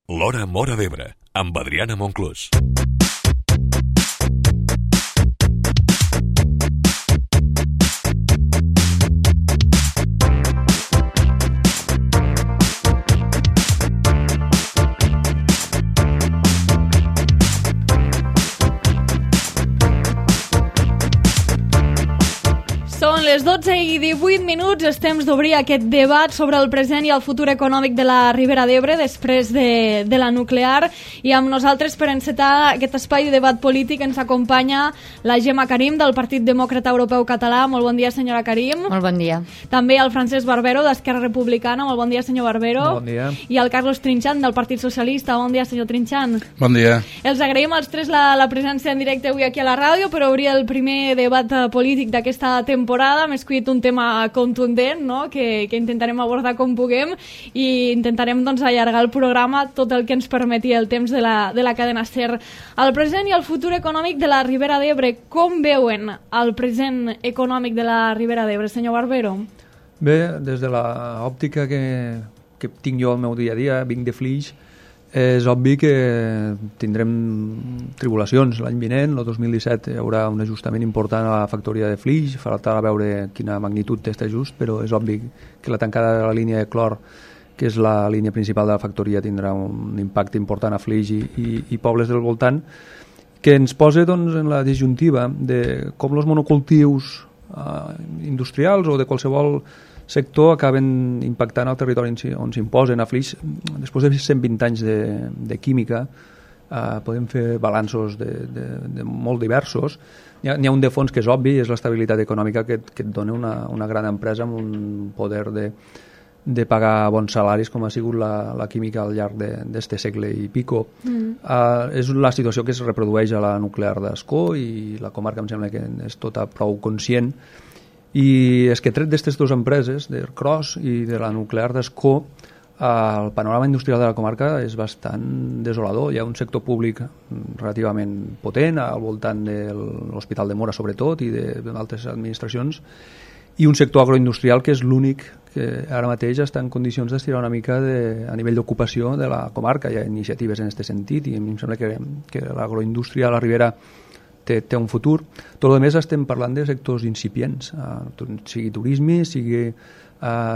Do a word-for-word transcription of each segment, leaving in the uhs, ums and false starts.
L'Hora Móra d'Ebre, amb Adriana Monclús. Són les dotze i divuit minuts, és temps d'obrir aquest debat sobre el present i el futur econòmic de la Ribera d'Ebre després de, de la nuclear, i amb nosaltres per encetar aquest espai de debat polític ens acompanya la Gemma Karim del Partit Demòcrata Europeu Català. Molt bon dia, senyora Karim. Molt bon dia. També el Francesc Barbero d'Esquerra Republicana. Molt bon dia, senyor Barbero. Bon dia. I el Carlos Trinxant del Partit Socialista. Bon dia, senyor Trinxant. Bon dia. Els agraïm als tres la, la presència en directe avui aquí a la ràdio per obrir el primer debat polític d'aquesta temporada. Hem escollit un tema contundent, no? que, que intentarem abordar com puguem, i intentarem doncs, allargar el programa tot el que ens permeti el temps de la, de la cadena SER. El present i el futur econòmic de la Ribera d'Ebre. Com veuen el present econòmic de la Ribera d'Ebre, senyor Barbero? Bé, des de l'òptica que, que tinc jo al meu dia a dia, vinc de Flix, és obvi que tindrem tribulacions l'any vinent. El dos mil disset hi haurà un ajustament important a la factoria de Flix, falta veure quina magnitud té aquest ajust, però és obvi que la tancada de la línia de clor, que és la línia principal de la factoria, tindrà un impacte important a Flix i, i, i pobles del voltant, que ens posa doncs, en la disjuntiva de com els monocultius eh, industrials o de qualsevol sector acaben impactant al territori on s'imposen. A Flix, després de cent vint anys de, de química, eh, podem fer balanços de, de, de molt diversos. N'hi ha, n'hi ha un de fons que és obvi, és l'estabilitat econòmica que, que et dona una, una gran empresa amb un poder de, de pagar bons salaris, com ha sigut la, la química al llarg d'aquest segle i pico. Mm. Uh, és la situació que es reprodueix a la nuclear d'Ascó, i la comarca em sembla que és tota prou conscient. I és que tret d'aquestes dues empreses, d'Ercros i de la nuclear d'Ascó, el panorama industrial de la comarca és bastant desolador. Hi ha un sector públic relativament potent al voltant de l'Hospital de Mora sobretot i d'altres administracions, i un sector agroindustrial que és l'únic que ara mateix està en condicions d'estirar una mica de, a nivell d'ocupació de la comarca. Hi ha iniciatives en aquest sentit i a mi em sembla que, que l'agroindústria a la Ribera Té, té un futur. Tot el més estem parlant de sectors incipients, eh, sigui turisme, sigui eh,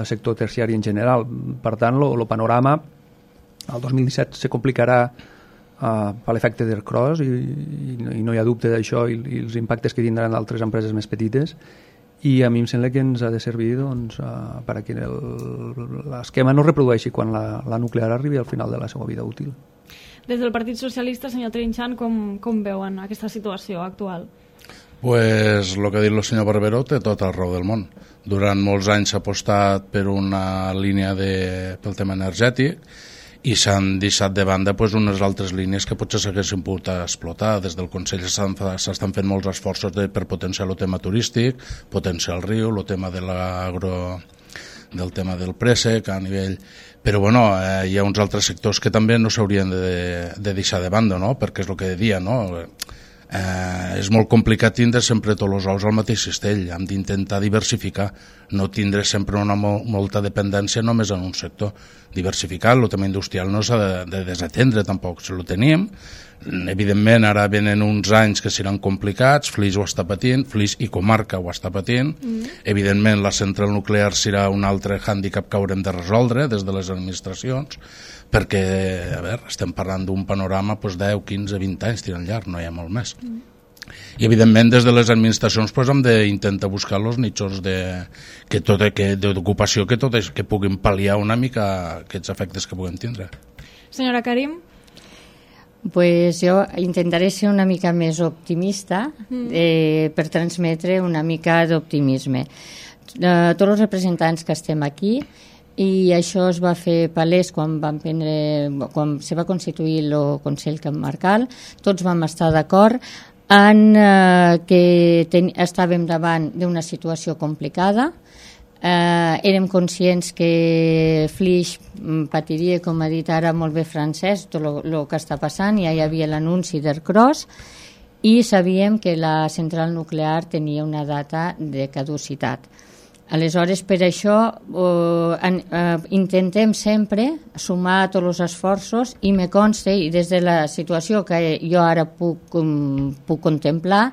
sector terciari en general. Per tant, el panorama el dos mil disset se complicarà eh, per l'efecte d'Ercros i, i, i no hi ha dubte d'això, i, i els impactes que tindran altres empreses més petites, i a mi em sembla que ens ha de servir doncs, eh, perquè l'esquema no reprodueixi quan la, la nuclear arribi al final de la seva vida útil. Des del Partit Socialista, senyor Trinxant, com, com veuen aquesta situació actual? Pues el que ha dit el senyor Barbero té tot el raó del món. Durant molts anys s'ha apostat per una línia de, pel tema energètic, i s'han deixat de banda pues, unes altres línies que potser s'haguessin pogut explotar. Des del Consell s'estan fent molts esforços de, per potenciar el tema turístic, potenciar el riu, el tema de l'agro, del tema del préssec a nivell... Però bueno, eh, hi ha uns altres sectors que també no s'haurien de, de deixar de banda, no? Perquè és el que deia, no? Eh, és molt complicat tindre sempre tots els ous al mateix cistell. Hem d'intentar diversificar, no tindre sempre una mo molta dependència només en un sector. Diversificar, el tema industrial no s'ha de, de desatendre tampoc, si ho tenim. Evidentment ara venen uns anys que seran complicats, Flix ho està patint, Flix i comarca ho està patint, mm. Evidentment la central nuclear serà un altre hàndicap que haurem de resoldre des de les administracions, perquè a veure, estem parlant d'un panorama doncs, deu, quinze, vint anys tirant llarg, no hi ha molt més. Mm. I evidentment des de les administracions doncs, hem d'intentar buscar els nichos de, que tot, que, d'ocupació que, tot, que puguin pal·liar una mica aquests efectes que puguem tindre. Senyora Karim? Pues jo intentaré ser una mica més optimista eh, per transmetre una mica d'optimisme. Eh, tots els representants que estem aquí, i això es va fer palès quan, van prendre, quan se va constituir el Consell Comarcal, tots vam estar d'acord en eh, que ten, estàvem davant d'una situació complicada. Eh, érem conscients que Flix patiria, com ha dit ara molt bé Francesc, tot el que està passant. Ja hi havia l'anunci d'Ercros i sabíem que la central nuclear tenia una data de caducitat. Aleshores, per això eh, en, eh, intentem sempre sumar tots els esforços i me consta, i des de la situació que jo ara puc, um, puc contemplar,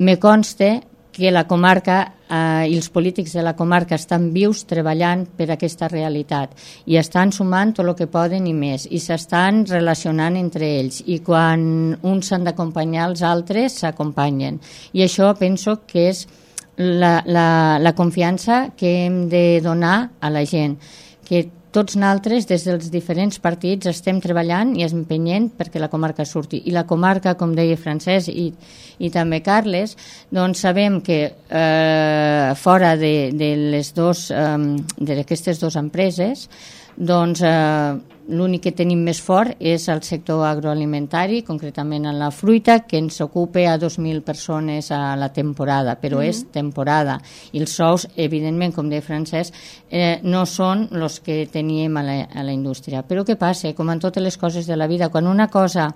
me consta que la comarca eh, i els polítics de la comarca estan vius treballant per aquesta realitat i estan sumant tot el que poden i més, i s'estan relacionant entre ells, i quan uns s'han d'acompanyar els altres s'acompanyen, i això penso que és La, la, la confiança que hem de donar a la gent, que tots nosaltres des dels diferents partits estem treballant i empenyent perquè la comarca surti, i la comarca, com deia Francesc i, i també Carles, doncs sabem que eh, fora de, de les dos eh, d'aquestes dues empreses, doncs eh, l'únic que tenim més fort és el sector agroalimentari, concretament en la fruita, que ens ocupa a dos mil persones a la temporada, però mm-hmm. és temporada. I els sous, evidentment, com deia Francesc, eh, no són els que teníem a la, a la indústria. Però què passa? Com en totes les coses de la vida, quan una cosa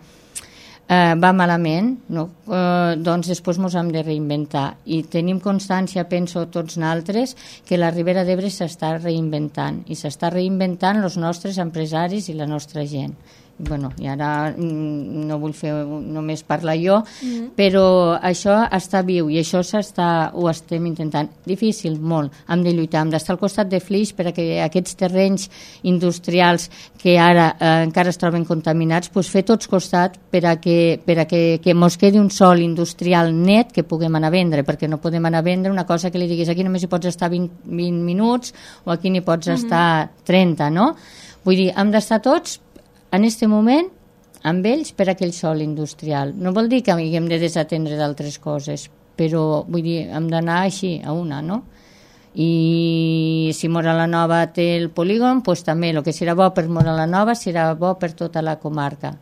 eh, va malament, no? eh, doncs després ens hem de reinventar. I tenim constància, penso tots nosaltres, que la Ribera d'Ebre s'està reinventant, i s'està reinventant els nostres empresaris i la nostra gent. Bueno, i ara no vull fer només parlar jo, mm-hmm. però això està viu i això s'està, ho estem intentant. Difícil, molt. Hem de lluitar, hem d'estar al costat de Flix perquè aquests terrenys industrials que ara eh, encara es troben contaminats, pues fer tots costat per a que, per a que, que mos quedi un sòl industrial net que puguem anar a vendre, perquè no podem anar a vendre una cosa que li diguis aquí només hi pots estar vint, vint minuts o aquí n'hi pots mm-hmm. estar trenta, no? Vull dir, hem d'estar tots en aquest moment amb ells per aquell sòl industrial. No vol dir que haguem de desatendre d'altres coses, però vull dir, hem d'anar així a una, no? I si Móra la Nova té el polígon, doncs també el que serà bo per Móra la Nova serà bo per tota la comarca.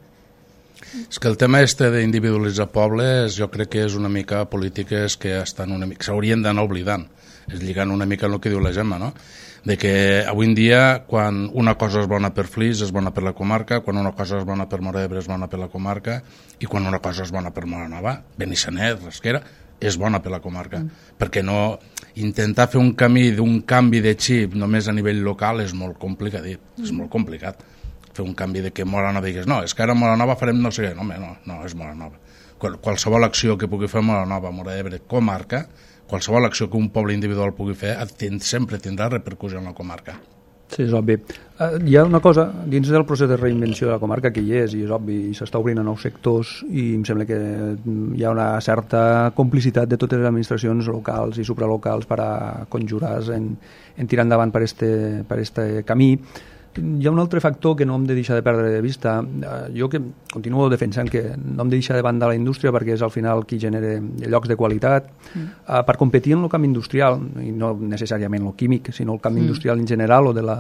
És que el tema este d'individualitzar pobles jo crec que és una mica polítiques que estan una mica, s'haurien d'anar oblidant, és lligant una mica el que diu la Gemma, no? De que avui en dia quan una cosa és bona per Flix és bona per la comarca, quan una cosa és bona per Móra d'Ebre és bona per la comarca, i quan una cosa és bona per Móra Nova, Benissanet, Rasquera, és bona per la comarca, mm. perquè no intentar fer un camí d'un canvi de xip només a nivell local és molt complicat, mm. és molt complicat fer un canvi de que Móra Nova digués no, és que ara a Móra Nova farem no sé què, no, no, no és Móra Nova. Qual, qualsevol acció que pugui fer Móra Nova, Móra d'Ebre, comarca, qualsevol acció que un poble individual pugui fer sempre tindrà repercussió en la comarca. Sí, és obvi. Uh, hi ha una cosa, dins del procés de reinvenció de la comarca, que hi és, i és obvi, i s'està obrint a nous sectors, i em sembla que hi ha una certa complicitat de totes les administracions locals i supralocals per a conjurar-se en, en tirar endavant per este, per este camí. Hi ha un altre factor que no hem de deixar de perdre de vista. Jo que continuo defensant que no hem de deixar de banda la indústria perquè és al final qui genera llocs de qualitat. Mm. Uh, per competir en el camp industrial, i no necessàriament el químic, sinó el camp mm. industrial en general o de la,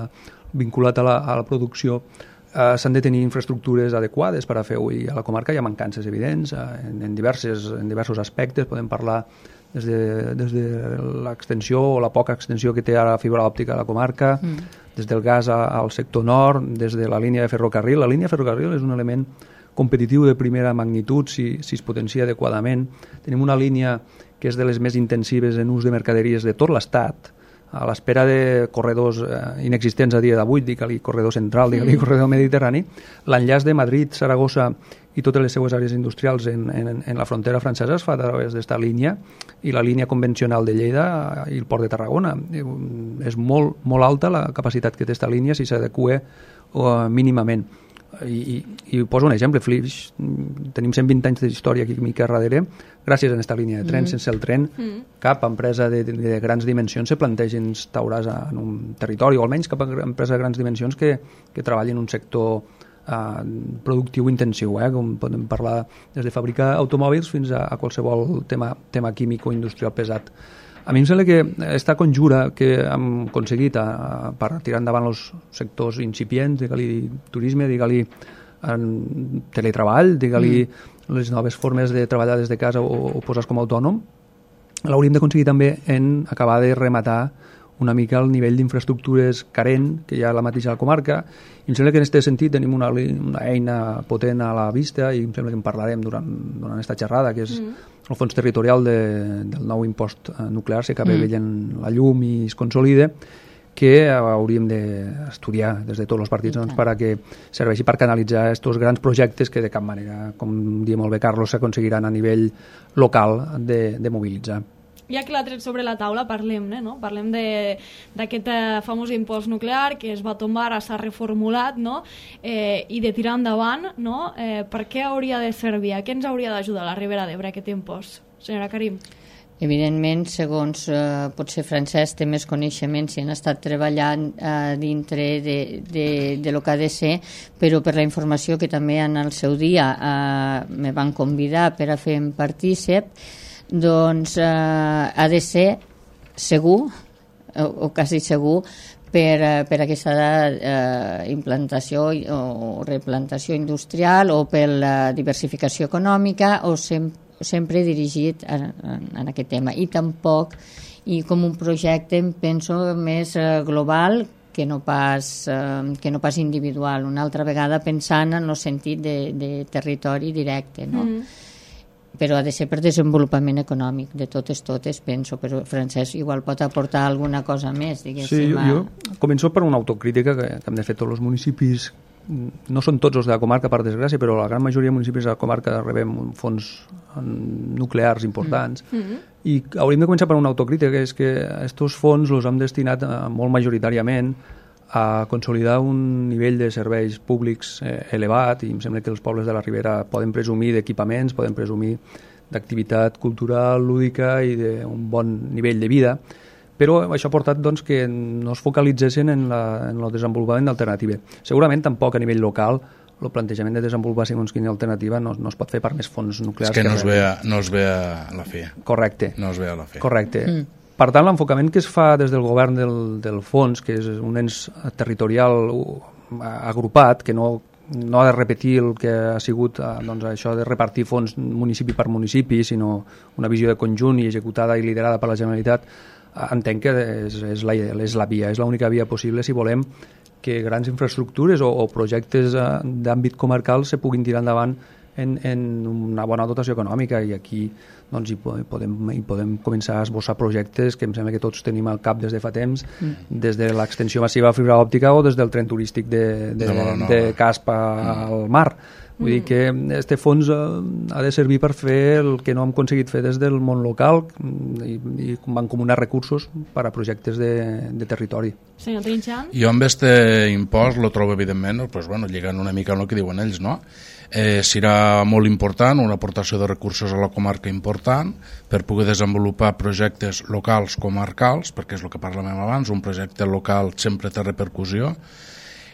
vinculat a la, a la producció, uh, s'han de tenir infraestructures adequades per a fer-ho, i a la comarca hi ha mancances evidents uh, en, en, diverses, en diversos aspectes. Podem parlar des de, des de l'extensió o la poca extensió que té ara la fibra òptica a la comarca, mm. des del gas a, al sector nord, des de la línia de ferrocarril. La línia de ferrocarril és un element competitiu de primera magnitud si, si es potencia adequadament. Tenim una línia que és de les més intensives en ús de mercaderies de tot l'Estat, a l'espera de corredors eh, inexistents a dia d'avui, digue-li corredor central, digue-li corredor mediterrani. L'enllaç de Madrid, Saragossa i totes les seues àrees industrials en, en, en la frontera francesa es fa a través d'esta línia, i la línia convencional de Lleida i el port de Tarragona. És molt, molt alta la capacitat que té aquesta línia si s'adequa uh, mínimament. I, i, i poso un exemple, Flix, tenim cent vint anys d'història aquí a darrere, gràcies a aquesta línia de tren. Mm. Sense el tren, mm. cap empresa de, de grans dimensions se planteja instaurar-se en un territori, o almenys cap empresa de grans dimensions que, que treballi en un sector uh, productiu intensiu, eh? Com podem parlar des de fabricar automòbils fins a, a qualsevol tema, tema químic o industrial pesat. A mi em sembla que aquesta conjura que hem aconseguit a, a, per tirar endavant els sectors incipients, digue-li turisme, digue-li teletreball, digue-li mm. les noves formes de treballar des de casa o, o posar-se com a autònom, l'hauríem d'aconseguir també en acabar de rematar una mica el nivell d'infraestructures carent que hi ha a la mateixa comarca. I em sembla que en aquest sentit tenim una, una eina potent a la vista, i em sembla que en parlarem durant, durant aquesta xerrada, que és mm. el fons territorial de, del nou impost nuclear s'acaba mm. veient la llum i es consolida, que hauríem d'estudiar des de tots els partits doncs, per a que serveixi per canalitzar aquests grans projectes que de cap manera, com diu molt bé Carlos, s'aconseguiran a nivell local de, de mobilitzar. Ja que l'ha tret sobre la taula, parlem-ne, no? Parlem d'aquest eh, famós impost nuclear que es va tombar, ara s'ha reformulat, no? Eh, i de tirar endavant, no? Eh, per què hauria de servir? A què ens hauria d'ajudar a la Ribera d'Ebre aquest impost? Senyora Karim. Evidentment, segons eh, potser Francesc té més coneixements i han estat treballant eh, dintre de, de, de lo que ha de ser, però per la informació que també en el seu dia eh, me van convidar per a fer partícip, doncs eh, ha de ser segur o, o quasi segur per, eh, per aquesta eh, implantació o replantació industrial o per la diversificació econòmica o sem sempre dirigit en, en, en aquest tema, i tampoc i com un projecte penso més eh, global que no pas, eh, que no pas individual, una altra vegada pensant en el sentit de, de territori directe, no? Mm. Però ha de ser per desenvolupament econòmic, de totes, totes, penso, però Francesc igual pot aportar alguna cosa més, diguéssim. Sí, jo, jo començo per una autocrítica que, que hem de fer tots els municipis, no són tots els de la comarca, per desgràcia, però la gran majoria de municipis de la comarca rebem fons nuclears importants, mm. Mm-hmm. i hauríem de començar per una autocrítica, que és que aquests fons els hem destinat molt majoritàriament a consolidar un nivell de serveis públics eh, elevat, i em sembla que els pobles de la Ribera poden presumir d'equipaments, poden presumir d'activitat cultural, lúdica i d'un bon nivell de vida, però això ha portat doncs, que no es focalitzessin en, la, en el desenvolupament d'alternativa. Segurament tampoc a nivell local el plantejament de desenvolupar segons quina alternativa no, no es pot fer per més fons nuclears. És que, que no, es ve a, no es ve a la fi. Correcte. No es ve a la fi. Correcte. Mm. Per tant, l'enfocament que es fa des del govern del, del fons, que és un ens territorial agrupat, que no, no ha de repetir el que ha sigut doncs, això de repartir fons municipi per municipi, sinó una visió de conjunt i executada i liderada per la Generalitat, entenc que és, és, la, és la via, és l'única via possible si volem que grans infraestructures o, o projectes d'àmbit comarcal se puguin tirar endavant en, en una bona dotació econòmica, i aquí doncs, hi, podem, hi podem començar a esbossar projectes que em sembla que tots tenim al cap des de fa temps, mm. des de l'extensió massiva de fibra òptica o des del tren turístic de, de, de, de Caspa mm. al mar. Vull mm. dir que este fons ha de servir per fer el que no hem aconseguit fer des del món local i, i mancomunar recursos per a projectes de, de territori. Senyor Trinxant? Jo amb este impost lo trobo evidentment, pues, bueno, lligant una mica amb el que diuen ells, no? Eh, serà molt important, una aportació de recursos a la comarca important per poder desenvolupar projectes locals comarcals, perquè és el que parlàvem abans, un projecte local sempre té repercussió,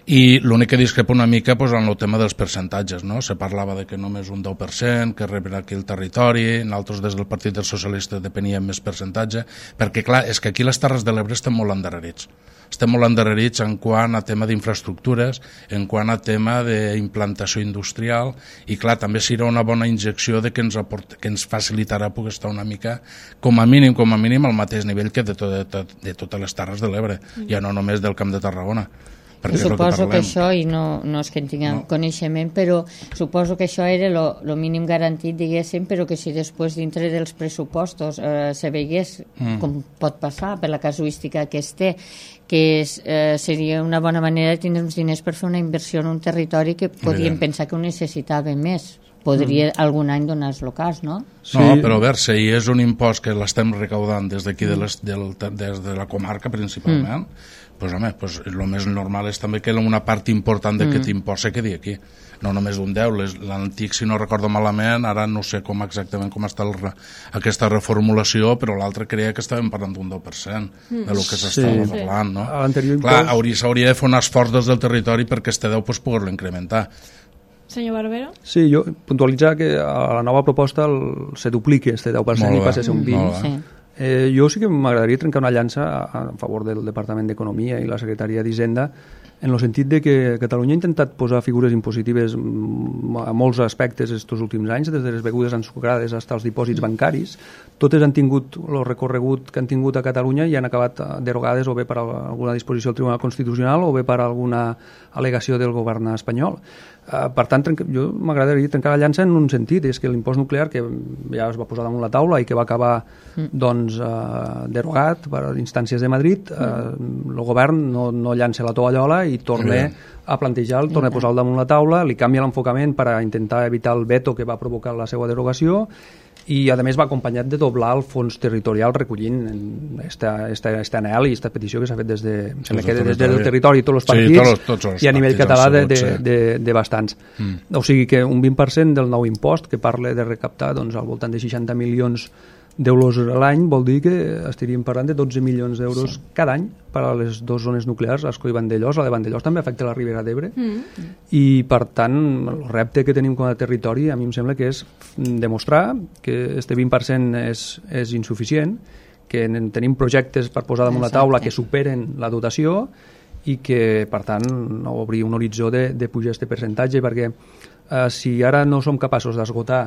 i l'únic que discrepa una mica pues, en el tema dels percentatges, no? Se parlava de que només un deu per cent que reben aquí el territori, nosaltres des del Partit dels Socialistes depeníem més percentatge, perquè clar, és que aquí les Terres de l'Ebre estem molt endarrerits. Estem molt endarrerits en quant a tema d'infraestructures, en quant a tema d'implantació industrial, i clar, també serà una bona injecció de que ens, aport, que ens facilitarà poder estar una mica, com a mínim, com a mínim, al mateix nivell que de, to, de, to, de totes les Terres de l'Ebre, mm. ja no només del Camp de Tarragona. I suposo que, que això, i no, no és que en tinguem no. coneixement, però suposo que això era el mínim garantit, diguéssim, però que si després dintre dels pressupostos eh, se veiés, mm. com pot passar per la casuística que es té, que és, eh, seria una bona manera de tindre uns diners per fer una inversió en un territori que podríem pensar que ho necessitava més. Podria mm. algun any donar els locals, no? Sí. No, però a veure, si és un impost que l'estem recaudant des d'aquí, de les, del, des de la comarca principalment, mm. pues, home, pues, el més normal és també que una part important d'aquest mm. impost se quedi aquí. No només un deu, l'antic, si no recordo malament, ara no sé com exactament com està el, aquesta reformulació, però l'altre creia que estàvem parlant d'un deu per cent mm. de lo que s'estava sí. parlant, no? Clar, s'hauria de fer un esforç des del territori perquè este deu pues, poder-lo incrementar. Senyor Barbero? Sí, jo puntualitzar que a la nova proposta el, se dupliqui este deu per cent i passi a ser un vint per cent. Sí. Eh, jo sí que m'agradaria trencar una llança a, a favor del Departament d'Economia i la Secretaria d'Hisenda en el sentit de que Catalunya ha intentat posar figures impositives a molts aspectes estos últims anys, des de les begudes ensucrades fins als dipòsits bancaris. Totes han tingut el recorregut que han tingut a Catalunya i han acabat derogades o bé per alguna disposició del Tribunal Constitucional o bé per alguna al·legació del govern espanyol. Uh, per tant, jo m'agradaria trencar la llança en un sentit, és que l'impost nuclear, que ja es va posar damunt la taula i que va acabar mm. doncs, uh, derogat per instàncies de Madrid, uh, mm. el govern no, no llança la tovallola i torna mm. a plantejar, torna a posar-lo damunt la taula, li canvia l'enfocament per a intentar evitar el veto que va provocar la seva derogació, i a més va acompanyat de doblar el fons territorial recollint esta, esta, esta anhel i esta petició que s'ha fet des, de, des, de des del territori i tots els partits, sí, tots, tots els i a nivell català de, de, de, de bastants. Mm. O sigui que un vint per cent del nou impost que parla de recaptar doncs, al voltant de seixanta milions d'euros a l'any vol dir que estaríem parlant de dotze milions d'euros sí. cada any per a les dues zones nuclears, Ascó i Vandellòs. La de Vandellòs també afecta la Ribera d'Ebre mm. i per tant el repte que tenim com a territori a mi em sembla que és demostrar que este vint per cent és, és insuficient, que tenim projectes per posar damunt la taula que superen la dotació i que per tant obrir un horitzó de, de pujar aquest percentatge, perquè eh, si ara no som capaços d'esgotar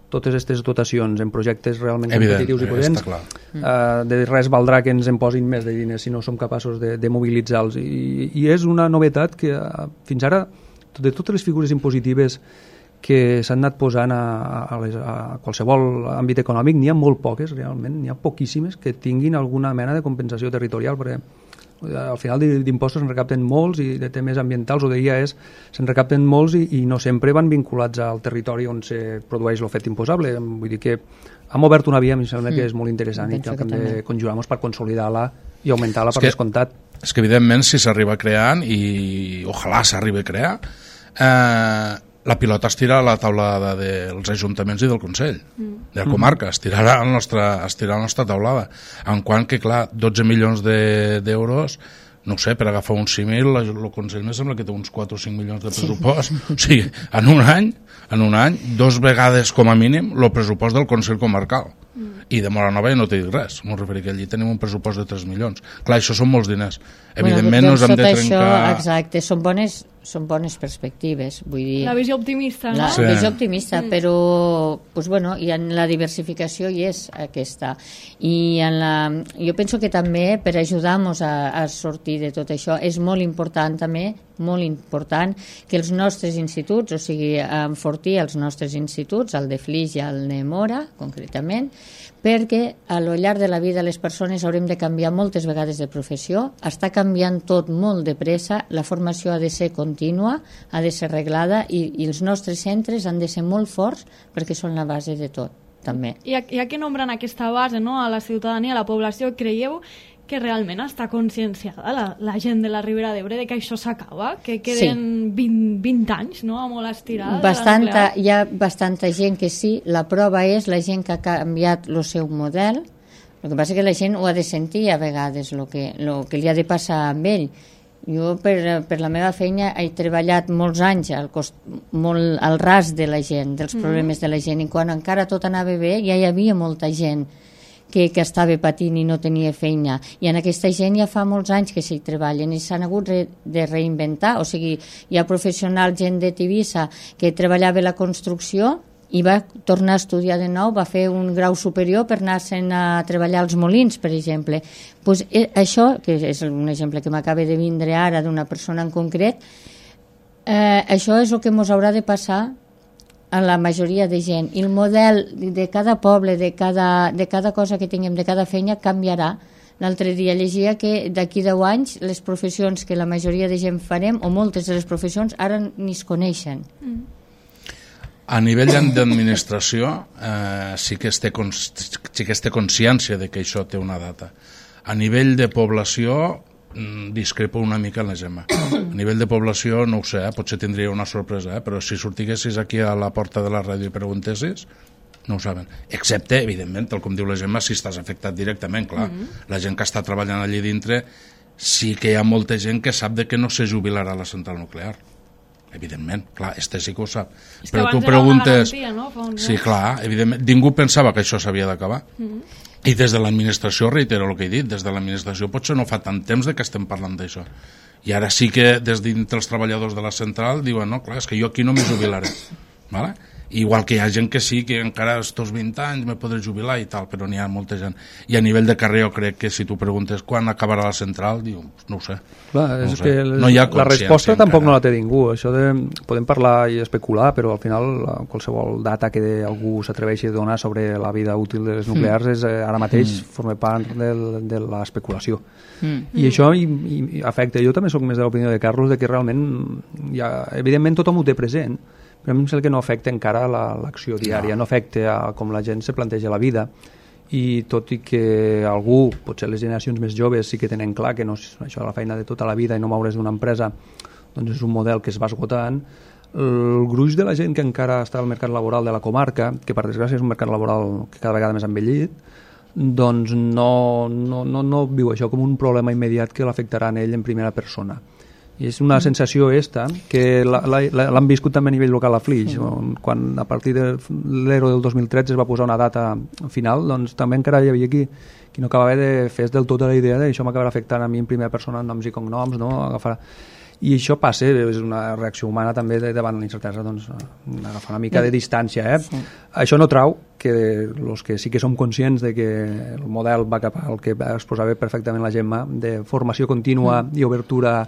totes aquestes dotacions en projectes realment Evident, competitius i potents, uh, de res valdrà que ens en posin més de diners si no som capaços de, de mobilitzar-los. I, I és una novetat que uh, fins ara, de totes les figures impositives que s'han anat posant a, a, les, a qualsevol àmbit econòmic, n'hi ha molt poques, realment, n'hi ha poquíssimes que tinguin alguna mena de compensació territorial, perquè al final d'impostos se'n recapten molts i de temes ambientals o de I A Es se'n recapten molts i, i no sempre van vinculats al territori on se produeix l'ofet imposable. Vull dir que hem obert una via, em sembla que és molt interessant i que hem de conjurar-nos per consolidar-la i augmentar-la per descomptat. És que evidentment si s'arriba creant i ojalà s'arribi a crear, eh, la pilota es tira a la taulada dels ajuntaments i del Consell, mm. de la comarca, es tirarà a la nostra, es tirarà a la nostra taulada. En quant que, clar, dotze milions d'euros, de, no sé, per agafar un símil, el Consell me sembla que té uns quatre o cinc milions de pressupost. Sí. O sigui, en un any, en un any, dos vegades com a mínim, el pressupost del Consell Comarcal. Mm. I de Móra Nova ja no t'he dit res. M'ho referir que allí tenim un pressupost de tres milions. Clar, això són molts diners. Evidentment bueno, no hem de trencar... Això, exacte, són bones, són bones perspectives, vull dir... La visió optimista, no? La sí. visió optimista, mm. però pues, bueno, i en la diversificació hi és aquesta. I en la, jo penso que també per ajudar-nos a, a sortir de tot això és molt important també, molt important, que els nostres instituts, o sigui, enfortir els nostres instituts, el de Flix i el de Móra, concretament, perquè a lo llarg de la vida les persones haurem de canviar moltes vegades de professió, està canviant tot molt de pressa, la formació ha de ser contínua, ha de ser reglada i, i els nostres centres han de ser molt forts perquè són la base de tot, també. Ja, ja que nombren aquesta base, no, a la ciutadania, a la població, creieu que realment està conscienciada la, la gent de la Ribera d'Ebre de que això s'acaba, que queden sí. vint, vint anys, no?, a molt estirada. Bastanta, hi ha bastanta gent que sí, la prova és la gent que ha canviat el seu model, el que passa que la gent ho ha de sentir a vegades, el que, lo que li ha de passar amb ell. Jo per, per la meva feina he treballat molts anys al, cost, molt al ras de la gent, dels problemes mm. de la gent, i quan encara tot anava bé ja hi havia molta gent que, que estava patint i no tenia feina, i en aquesta gent ja fa molts anys que s'hi treballen i s'han hagut re, de reinventar, o sigui, hi ha professionals, gent de Tivissa que treballava la construcció i va tornar a estudiar de nou, va fer un grau superior per anar-se'n a treballar als molins, per exemple. Pues, eh, això, que és un exemple que m'acaba de vindre ara d'una persona en concret, eh, això és el que ens haurà de passar a la majoria de gent, i el model de cada poble, de cada, de cada cosa que tinguem, de cada feina, canviarà. L'altre dia llegia que d'aquí deu anys les professions que la majoria de gent farem, o moltes de les professions, ara ni es coneixen. Mm. A nivell d'administració eh, sí, que es té sí que es té consciència de que això té una data. A nivell de població discrepo una mica en la Gemma. A nivell de població no ho sé, eh? Potser tindria una sorpresa, eh? Però si sortiguessis aquí a la porta de la ràdio i preguntessis, no ho saben. Excepte, evidentment, tal com diu la Gemma, si estàs afectat directament, clar. Mm-hmm. La gent que està treballant allí dintre, sí que hi ha molta gent que sap de que no se jubilarà a la central nuclear. Evidentment, clar, este sí que ho sap. És però que tu preguntes... Garantia, no? Sí, clar, evidentment. Ningú pensava que això s'havia d'acabar. Mm-hmm. I des de l'administració, reitero el que he dit, des de l'administració potser no fa tant temps de que estem parlant d'això. I ara sí que des dintre els treballadors de la central diuen, no, clar, és que jo aquí no m'hi jubilaré. Vale? igual que hi ha gent que sí, que encara estos vint anys me podré jubilar i tal, però n'hi ha molta gent. I a nivell de carrer jo crec que si tu preguntes quan acabarà la central, diu, no ho sé. Clar, no és ho sé. que les, no hi ha la resposta encara. tampoc no la té ningú. Això de, podem parlar i especular, però al final qualsevol data que algú s'atreveixi a donar sobre la vida útil de les nuclears mm. és, ara mateix mm. forma part del, de l'especulació. Mm. I això i, i afecta. Jo també soc més de l'opinió de Carlos de que realment, ja, evidentment tothom ho té present, però a mi em sembla que no afecta encara l'acció diària, no. no afecta a com la gent se planteja la vida, i tot i que algú, potser les generacions més joves sí que tenen clar que no és això la feina de tota la vida i no moure's d'una empresa, doncs és un model que es va esgotant. El gruix de la gent que encara està al mercat laboral de la comarca, que per desgràcia és un mercat laboral que cada vegada més envellit, doncs no, no, no, no viu això com un problema immediat que l'afectarà a ell en primera persona. I és una sensació esta que l'han viscut també a nivell local a Flix, on, quan a partir de l'Ero del dos mil tretze es va posar una data final, doncs també encara hi havia qui, qui no acabava de fer del tot la idea d'això m'acabarà afectant a mi en primera persona, noms i cognoms, no? Agafar... I això passa, és una reacció humana també de, davant la incertesa, doncs agafar una mica de distància. Eh? Sí. Això no trau que els que sí que som conscients de que el model va cap al que exposava perfectament la Gemma, de formació contínua mm. i obertura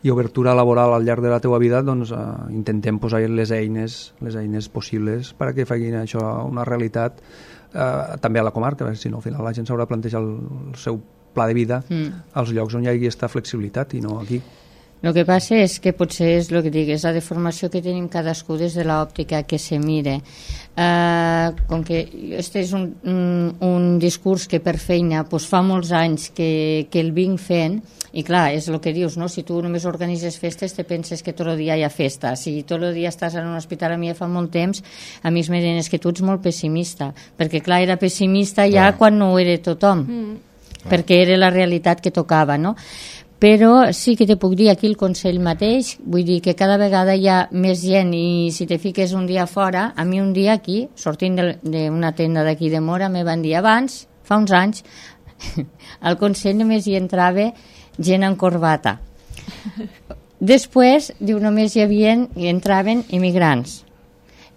i obertura laboral al llarg de la teua vida, doncs eh, intentem posar les eines les eines possibles perquè facin això una realitat eh, també a la comarca, si no al final la gent s'haurà de plantejar el, el seu pla de vida mm. als llocs on hi hagi aquesta flexibilitat i no aquí. El que passa és que potser és el que dic, és la deformació que tenim cadascú des de l'òptica que se mire. Uh, com que este és un, un, un discurs que per feina pues, fa molts anys que, que el vinc fent, i clar, és el que dius, no? Si tu només organitzes festes te penses que tot el dia hi ha festa, si tot el dia estàs en un hospital, a mi fa molt temps a mi es me deien que tu ets molt pessimista, perquè clar, era pessimista ja clar. Quan no ho era tothom mm. perquè era la realitat que tocava, no? Però sí que te puc dir aquí el Consell mateix, vull dir que cada vegada hi ha més gent i si te fiques un dia fora, a mi un dia aquí, sortint d'una tenda d'aquí de Mora, me van dir abans, fa uns anys, al Consell només hi entrava gent en corbata. Després, diu, només hi havia, hi entraven immigrants.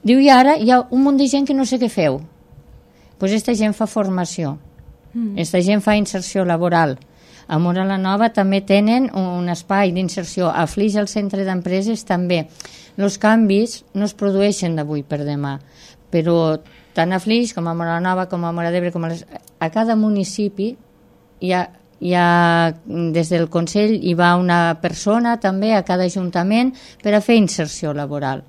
Diu, i ara hi ha un munt de gent que no sé què feu. Doncs pues esta gent fa formació, mm. esta gent fa inserció laboral. A Mora la Nova també tenen un espai d'inserció. A Flix, al centre d'empreses, també. Els canvis no es produeixen d'avui per demà, però tant a Flix com a Mora la Nova, com a Mora d'Ebre, com a, les... a cada municipi hi ha, hi ha, des del Consell hi va una persona també a cada ajuntament per a fer inserció laboral,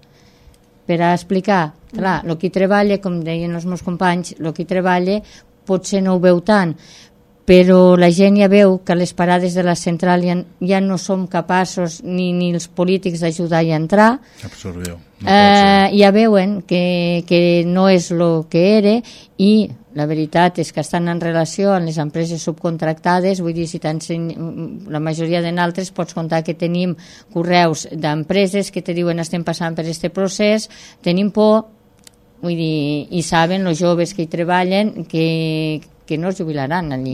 per a explicar, clar, el que treballa, com deien els meus companys, el que treballa potser no ho veu tant, però la gent ja veu que a les parades de la central ja, ja no som capaços ni, ni els polítics d'ajudar a entrar. Absorbiu. No eh, ja veuen que, que no és el que era i la veritat és que estan en relació amb les empreses subcontractades, vull dir, si la majoria de nosaltres pots contar que tenim correus d'empreses que te diuen estem passant per aquest procés, tenim por, vull dir, i saben els joves que hi treballen que que no es jubilaran allí,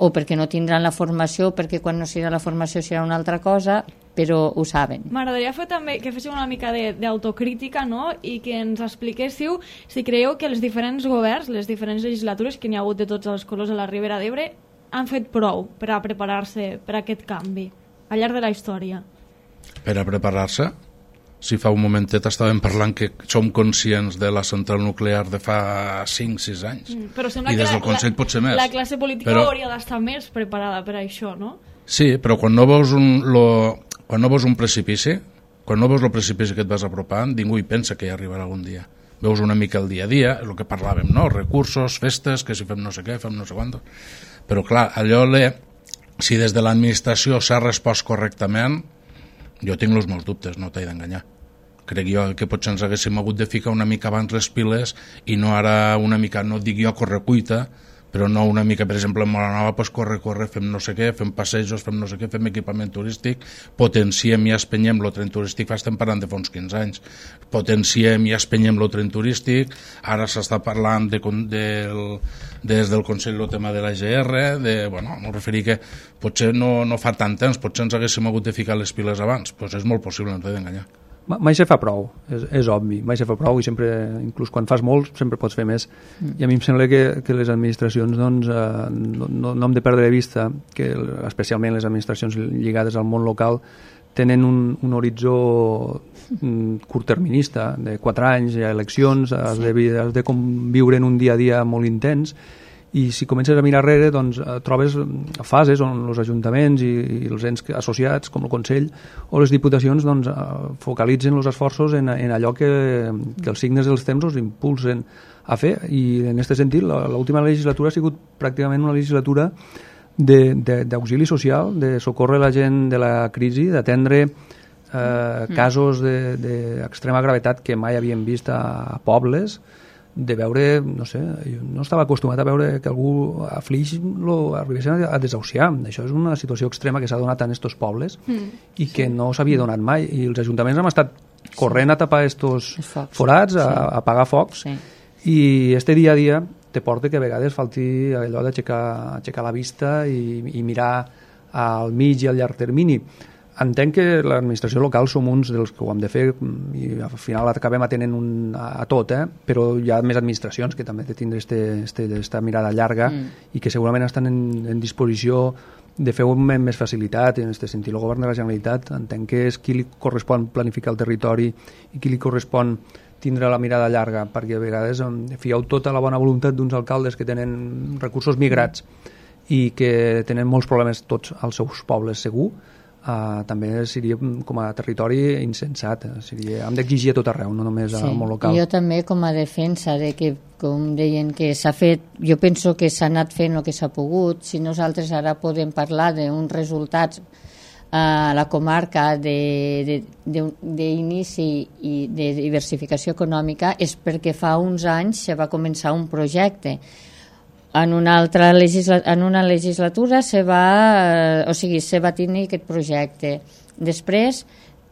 o perquè no tindran la formació, perquè quan no serà la formació serà una altra cosa, però ho saben. M'agradaria fer també que féssiu una mica d'autocrítica, no? I que ens expliquéssiu si creieu que els diferents governs, les diferents legislatures que n'hi ha hagut de tots els colors a la Ribera d'Ebre han fet prou per a preparar-se per a aquest canvi al llarg de la història. Per a preparar-se? Si fa un momentet estàvem parlant que som conscients de la central nuclear de fa cinc sis anys. Mm, però sembla I des del que Consell la, potser més. La classe política però, hauria d'estar més preparada per a això, no? Sí, però quan no veus un, lo, quan no veus un precipici, quan no veus el precipici que et vas apropant, ningú hi pensa que hi arribarà algun dia. Veus una mica el dia a dia, el que parlàvem, no? Recursos, festes, que si fem no sé què, fem no sé quant. Però clar, allò, le, si des de l'administració s'ha respost correctament, jo tinc els meus dubtes, no t'he d'enganyar. Crec jo que potser ens haguéssim hagut de ficar una mica abans les piles i no ara una mica, no dic jo correcuita, però no una mica, per exemple, en Mora Nova, pues corre, corre, fem no sé què, fem passejos, fem no sé què, fem equipament turístic, potenciem i espenyem el tren turístic, fa estem parlant de fa uns quinze anys, potenciem i espenyem el tren turístic, ara s'està parlant de, de, des del Consell el tema de la G R, de, bueno, m'ho referir que potser no, no fa tant temps, potser ens haguéssim hagut de ficar les piles abans, doncs és molt possible, no t'he d'enganyar. mai se fa prou, és, és obvi, mai se fa prou i sempre, inclús quan fas molt, sempre pots fer més. Mm. I a mi em sembla que, que les administracions doncs, eh, no, no, no hem de perdre de vista que especialment les administracions lligades al món local tenen un, un horitzó curtterminista, de quatre anys, hi ha eleccions, has de, has de conviure en un dia a dia molt intens, i si comences a mirar darrere doncs, trobes fases on els ajuntaments i, i els ens associats com el Consell o les Diputacions doncs, focalitzen els esforços en, en allò que, que els signes dels temps els impulsen a fer, i en aquest sentit l'última legislatura ha sigut pràcticament una legislatura d'auxili social, de socórrer la gent de la crisi, d'atendre eh, mm. casos d'extrema de, gravetat que mai havíem vist a, a pobles, de veure, no sé, jo no estava acostumat a veure que algú a Flix lo arribessin a desahuciar. Això és una situació extrema que s'ha donat en estos pobles mm, i que sí. no s'havia donat mai, i els ajuntaments hem estat corrent sí. a tapar estos forats, a, sí. a apagar focs, sí. i este dia a dia te porta que a vegades falti allò d'aixecar aixecar la vista i, i mirar al mig i al llarg termini. Entenc que l'administració local som uns dels que ho hem de fer i al final acabem atenent un, a, a tot, eh? Però hi ha més administracions que també tindran aquesta mirada llarga mm. i que segurament estan en, en disposició de fer-ho amb més facilitat. En aquest sentit, el govern de la Generalitat entenc que és qui li correspon planificar el territori i qui li correspon tindre la mirada llarga, perquè a vegades fieu tota la bona voluntat d'uns alcaldes que tenen recursos migrats i que tenen molts problemes tots als seus pobles, segur. Uh, també seria com a territori insensat, seria, hem d'exigir a tot arreu, no només sí. al món local. Jo també com a defensa de que, com deien, que s'ha fet, jo penso que s'ha anat fent el que s'ha pogut. Si nosaltres ara podem parlar d'uns resultats a la comarca d'inici i de diversificació econòmica és perquè fa uns anys se va començar un projecte. En una altra legisla en una legislatura se va, o sigui, se va tenir aquest projecte. Després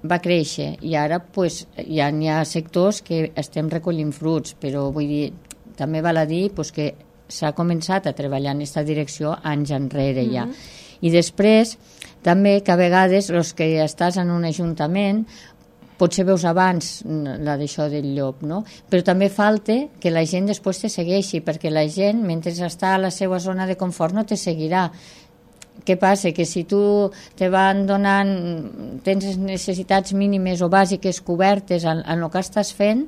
va créixer i ara pues, ja n'hi ha sectors que estem recollint fruits, però vull dir, també val a dir pues, que s'ha començat a treballar en aquesta direcció anys enrere ja. Mm-hmm. I després també que a vegades els que estàs en un ajuntament potser veus abans la d'això del llop, no? Però també falta que la gent després te segueixi, perquè la gent, mentre està a la seva zona de confort, no te seguirà. Què passa? Que si tu te van donant, tens necessitats mínimes o bàsiques cobertes en, en el que estàs fent,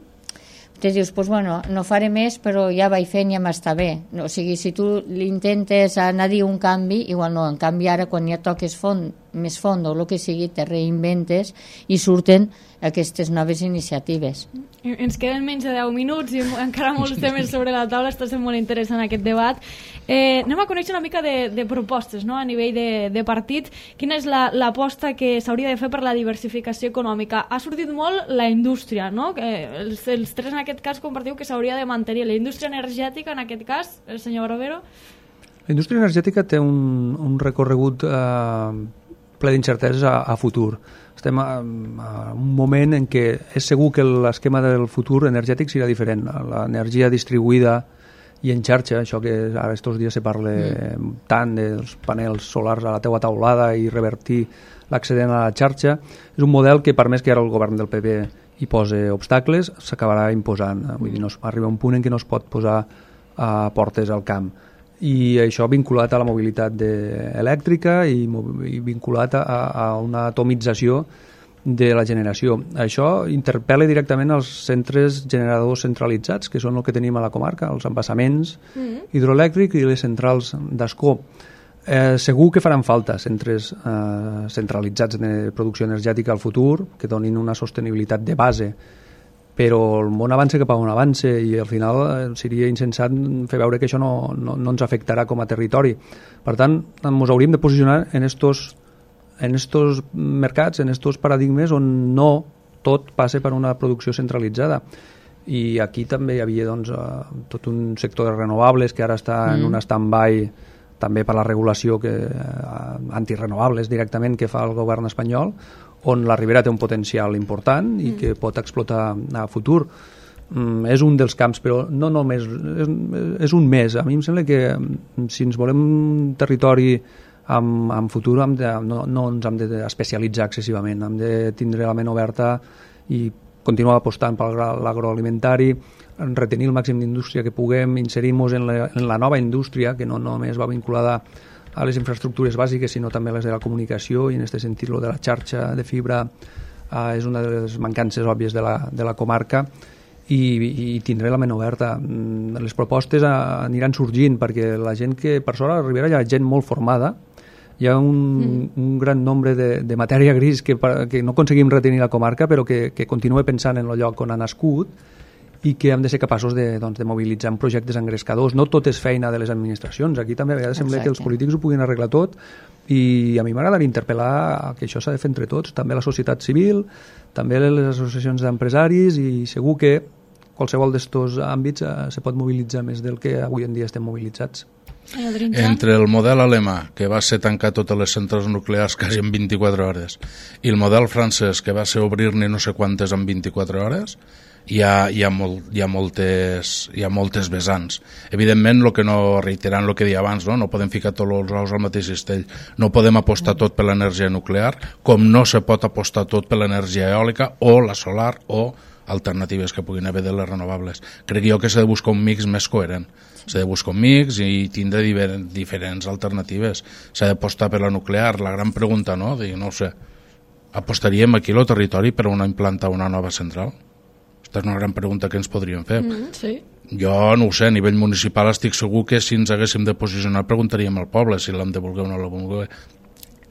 te dius, pues bueno, no faré més, però ja vaig fent i ja m'està bé. O sigui, si tu l'intentes anar a dir un canvi, igual no, en canvi ara quan ja toques font, més font o el que sigui, te reinventes i surten aquestes noves iniciatives. Ens queden menys de deu minuts i encara molts temes sobre la taula, està sent molt interessant aquest debat. Eh, anem a conèixer una mica de, de propostes, no? A nivell de, de partit. Quina és l'aposta la, que s'hauria de fer per la diversificació econòmica? Ha sortit molt la indústria, no? Que els, els tres en aquest cas compartiu que s'hauria de mantenir. La indústria energètica, en aquest cas, el senyor Barbero? La indústria energètica té un, un recorregut eh, ple d'incerteses a, a futur. Estem a, a un moment en què és segur que l'esquema del futur energètic serà diferent. L'energia distribuïda i en xarxa, això que ara estos dies se parla mm. tant dels panels solars a la teua taulada i revertir l'accedent a la xarxa, és un model que per més que ara el govern del P P hi posa obstacles, s'acabarà imposant. Vull dir, no es, arriba un punt en què no es pot posar a portes al camp. I això vinculat a la mobilitat elèctrica i, i vinculat a, a una atomització de la generació. Això interpel·la directament als centres generadors centralitzats, que són el que tenim a la comarca, els embassaments mm-hmm. hidroelèctrics i les centrals d'escó. Eh, segur que faran falta centres eh, centralitzats de producció energètica al futur, que donin una sostenibilitat de base, però el món avança cap a on avança i al final seria insensat fer veure que això no, no, no ens afectarà com a territori. Per tant, ens hauríem de posicionar en estos, en estos mercats, en estos paradigmes on no tot passa per una producció centralitzada. I aquí també hi havia doncs, tot un sector de renovables que ara està mm. en un stand-by també per la regulació que, antirenovables directament que fa el govern espanyol, on la Ribera té un potencial important i que pot explotar a futur. Mm, és un dels camps, però no només, és, és un més. A mi em sembla que si ens volem un territori amb, amb futur hem de, no, no ens hem d'especialitzar excessivament, hem de tindre la ment oberta i continuar apostant per l'agroalimentari, retenir el màxim d'indústria que puguem, inserir-nos en, la, en la nova indústria, que no només va vinculada a les infraestructures bàsiques, sinó també a les de la comunicació, i en aquest sentit lo de la xarxa de fibra eh, és una de les mancances òbvies de la, de la comarca, i, i tindré la ment oberta. Les propostes aniran sorgint, perquè la gent que per sort a la Ribera hi ha gent molt formada, hi ha un, mm. un gran nombre de, de matèria gris que, que no aconseguim retenir la comarca, però que, que continua pensant en el lloc on ha nascut, i que hem de ser capaços de, doncs, de mobilitzar en projectes engrescadors. No tot és feina de les administracions. Aquí també a vegades sembla que els polítics ho puguin arreglar tot, i a mi m'agradaria interpel·lar que això s'ha de fer entre tots, també la societat civil, també les associacions d'empresaris, i segur que qualsevol d'estos àmbits eh, se pot mobilitzar més del que avui en dia estem mobilitzats. Entre el model alemà, que va ser tancar totes les centrals nuclears quasi en vint-i-quatre hores, i el model francès, que va ser obrir-ne no sé quantes en vint-i-quatre hores, hi ha, hi ha, molt, hi ha, moltes, hi ha moltes vessants. Evidentment, el que no, reiterant el que deia abans, no? no podem ficar tots els ous al mateix cistell, no podem apostar tot per l'energia nuclear, com no se pot apostar tot per l'energia eòlica o la solar o alternatives que puguin haver de les renovables. Crec jo que s'ha de buscar un mix més coherent. S'ha de buscar un mix i tindre diferents alternatives. S'ha d'apostar per la nuclear. La gran pregunta, no? Dic, no ho sé, apostaríem aquí al territori per una implantar una nova central? Aquesta és una gran pregunta que ens podríem fer. Mm, sí. Jo no ho sé, a nivell municipal estic segur que si ens haguéssim de posicionar preguntaríem al poble si l'hem de voler o no l'hem de voler,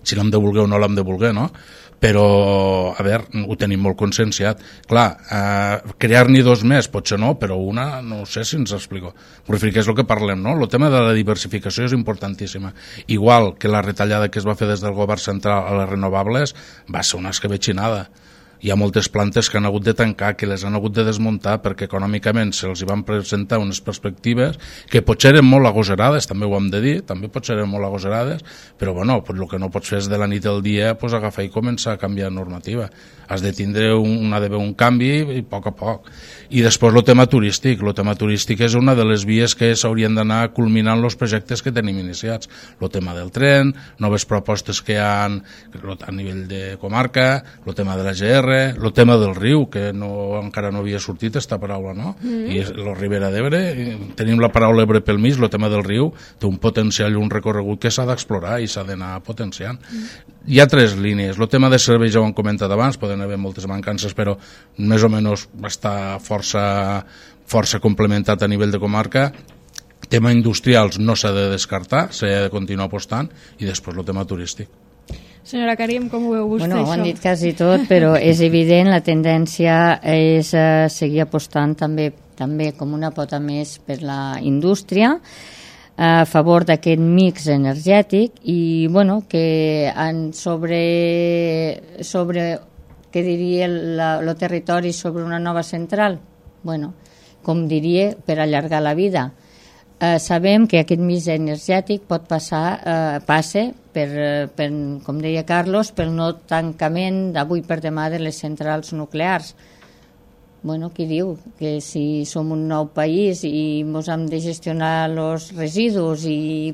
si l'hem de voler o no l'hem de voler, no? Però, a veure, ho tenim molt conscienciat. Clar, eh, crear-n'hi dos més, potser no, però una, no sé si ens explico. Però que és el que parlem, no? El tema de la diversificació és importantíssima. Igual que la retallada que es va fer des del govern central a les renovables va ser una escabetxinada. Hi ha moltes plantes que han hagut de tancar, que les han hagut de desmuntar perquè econòmicament se'ls van presentar unes perspectives que potser eren molt agosarades, també ho hem de dir, també potser eren molt agosarades, però bueno, pues el que no pots fer és de la nit al dia pues, agafar i començar a canviar normativa. Has de tindre un, ha d'haver un canvi i a poc a poc. I després el tema turístic. El tema turístic és una de les vies que s'haurien d'anar culminant els projectes que tenim iniciats. El tema del tren, noves propostes que hi ha a nivell de comarca, el tema de la G R, el tema del riu, que no, encara no havia sortit aquesta paraula, no? Mm. I la Ribera d'Ebre, tenim la paraula Ebre pel mig, el tema del riu té un potencial i un recorregut que s'ha d'explorar i s'ha d'anar potenciant. Mm. Hi ha tres línies. El tema de serveis ja ho hem comentat abans, poden haver moltes mancances, però més o menys està força, força complementat a nivell de comarca. Tema industrials no s'ha de descartar, s'ha de continuar apostant, i després el tema turístic. Senyora Karim, com ho veu vostè, bueno, això? Ho han dit quasi tot, però és evident, la tendència és uh, seguir apostant també, també com una pota més per la indústria, a favor d'aquest mix energètic, i bueno, que en sobre, sobre què diria el territori sobre una nova central? Bueno, com diria, per allargar la vida. Eh, sabem que aquest mix energètic pot passar, eh, passe per, per, com deia Carlos, pel no tancament d'avui per demà de les centrals nuclears. Bueno, qui diu que si som un nou país i ens hem de gestionar els residus i,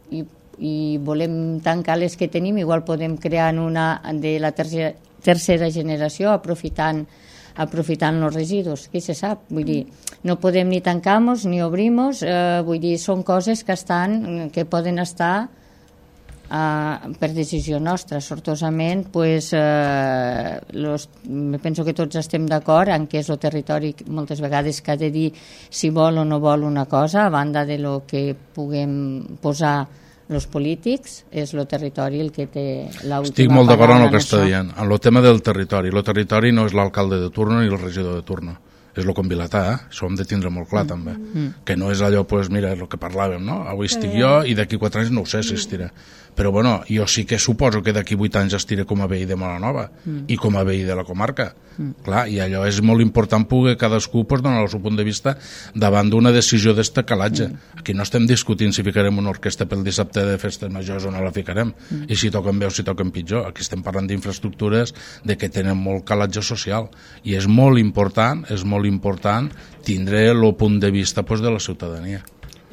i, i volem tancar les que tenim, igual podem crear una de la tercera, tercera generació aprofitant aprofitant els residus, qui se sap? Vull dir, no podem ni tancar-nos ni obrir-nos, eh, vull dir, són coses que estan, que poden estar eh, per decisió nostra. Sortosament, pues, eh, los, penso que tots estem d'acord en què és el territori moltes vegades que ha de dir si vol o no vol una cosa, a banda de lo que puguem posar els polítics, és el territori el que té l'última paraula. Estic molt d'acord amb el que està dient. En el tema del territori, el territori no és l'alcalde de turno ni el regidor de turno, és el convilatà, eh? Això ho hem de tindre molt clar, mm. també. Mm. Que no és allò, pues, mira, el que parlàvem, no? Avui estic jo i d'aquí quatre anys no ho sé si estiré. Però, bueno, jo sí que suposo que d'aquí vuit anys estiré com a veí de Móra-Nova mm. i com a veí de la comarca. Mm. Clar, i allò és molt important poder cadascú pues, donar el seu punt de vista davant d'una decisió d'este calatge. Mm. Aquí no estem discutint si ficarem una orquestra pel dissabte de festes majors o no la ficarem, mm. i si toquen bé o si toquen pitjor. Aquí estem parlant d'infraestructures de que tenen molt calatge social, i és molt important, és molt important tindre el punt de vista pues, de la ciutadania.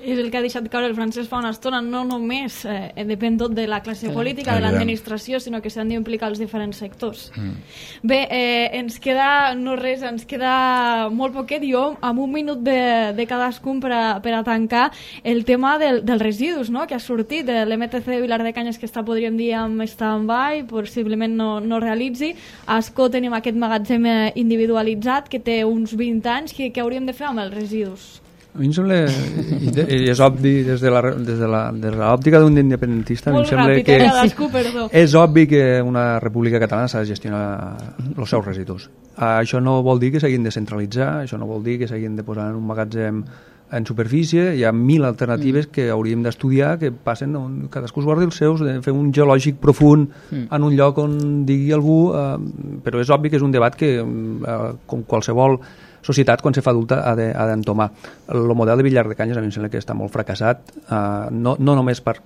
És el que ha deixat caure el francès fa una estona, no només eh, depèn tot de la classe política, de l'administració, sinó que s'han d'implicar els diferents sectors. Mm. Bé, eh, ens queda, no res, ens queda molt poquet, jo amb un minut de, de cadascun per a, per a tancar el tema del, dels residus, no?, que ha sortit de l'M T C de Vilar de Canyes, que està, podríem dir, amb stand-by, possiblement no, no realitzi. A Ascó tenim aquest magatzem individualitzat que té uns vint anys, que, que hauríem de fer amb els residus? A mi em sembla, i és obvi des de la, des de la, des de l'òptica d'un independentista, a mi em sembla ràpid, que cadascú, perdó. És obvi que una república catalana s'ha de gestionar els seus residus. Això no vol dir que s'hagin de centralitzar, això no vol dir que s'hagin de posar en un magatzem en superfície, hi ha mil alternatives mm. que hauríem d'estudiar, que passen, on cadascú es guardi els seus, de fer un geològic profund mm. en un lloc on digui algú, eh, però és obvi que és un debat que, eh, com qualsevol societat, quan se fa adulta, ha d'entomar. El model de Vilar de Canyes a mi em sembla que està molt fracassat, eh, no, no només per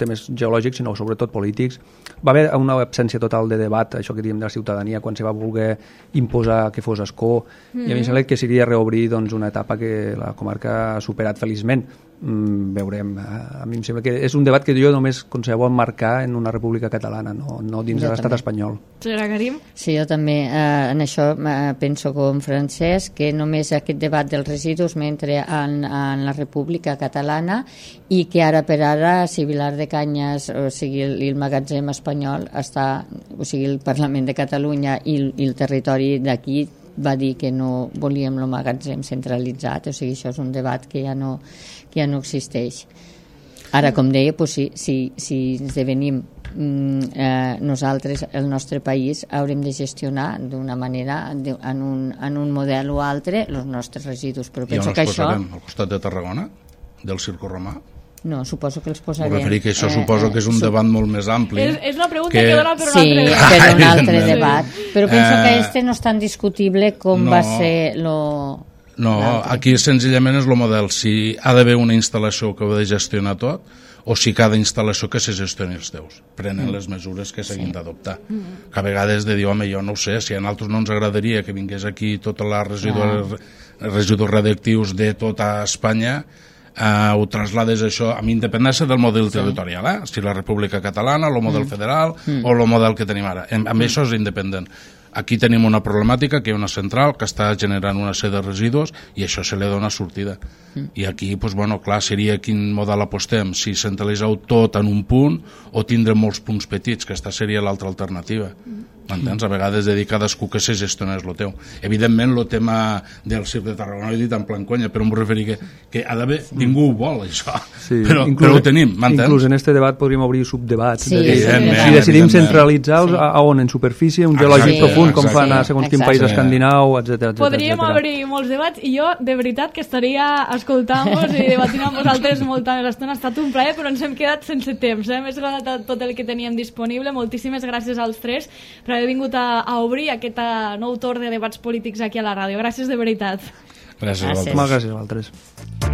temes geològics, sinó sobretot polítics. Va haver una absència total de debat, això que diem de la ciutadania, quan se va voler imposar que fos Ascó, mm-hmm. i a mi em sembla que seria reobrir doncs, una etapa que la comarca ha superat feliçment. Mm, veurem. A mi em sembla que és un debat que jo només concebo emmarcar en una república catalana, no, no dins jo de l'estat espanyol. Senyora Karim? Sí, jo també eh, en això eh, penso com Francesc, que només aquest debat dels residus mentre en, en la república catalana, i que ara per ara, si Vilar de Canyes, o sigui el, el magatzem espanyol està, o sigui el Parlament de Catalunya i, i el territori d'aquí va dir que no volíem el magatzem centralitzat, o sigui, això és un debat que ja no, que ja no existeix. Ara, com deia, doncs, si, si, si esdevenim mm, eh, nosaltres, el nostre país, haurem de gestionar d'una manera, de, en, un, en un model o altre, els nostres residus. Però penso I on els que posarem? això... Al costat de Tarragona? Del Circo Romà? No, suposo que els posarem... Vull referir que això eh, suposo que és un debat molt més ampli. És, és una pregunta que, que dona per un sí, altre debat. per un altre debat. Però penso Eh, que este no és tan discutible com no, va ser lo... No, aquí senzillament és el model. Si ha d'haver una instal·lació que ho ha de gestionar tot, o si cada instal·lació que se gestioni els teus. Prenen mm. les mesures que s'hagin sí. d'adoptar. Mm. Que a vegades de dir, home, jo no ho sé, si a nosaltres no ens agradaria que vingués aquí tota la residus, ah. residus radioactius de tota Espanya, Uh, ho traslades això amb independència del model sí. territorial, eh? Si la República Catalana, el model mm. federal mm. o el model que tenim ara. Amb, amb mm. això és independent. Aquí tenim una problemàtica, que hi ha una central que està generant una sèrie de residus i això se li dona sortida. Mm. I aquí, doncs, bueno, clar, seria quin model apostem, si centralitzeu tot en un punt o tindrem molts punts petits, que aquesta seria l'altra alternativa. Mm. M'entens? A vegades de dir cadascú que se gestionés el teu. Evidentment, el tema del Circ de Tarragona, ho he dit en plan conya, però em vull referir que, que ha d'haver, ningú ho vol, això. Sí. Però, inclús, però ho tenim, m'entens? Inclús en este debat podríem obrir subdebats. Sí, de, sí, si decidim centralitzar-los, sí. a, a on? En superfície, un geològic sí, profund, com fan a segons quin país escandinau, etcètera. Podríem etcètera. obrir molts debats i jo, de veritat, que estaria escoltant-vos i debatint amb vosaltres molta més estona. Ha estat un plaer, però ens hem quedat sense temps. Eh? Hem esgotat tot el que teníem disponible. Moltíssimes gràcies als tres per haver vingut a, a obrir aquest nou torn de debats polítics aquí a la ràdio. Gràcies de veritat. Gràcies a vosaltres. Moltes gràcies a vosaltres.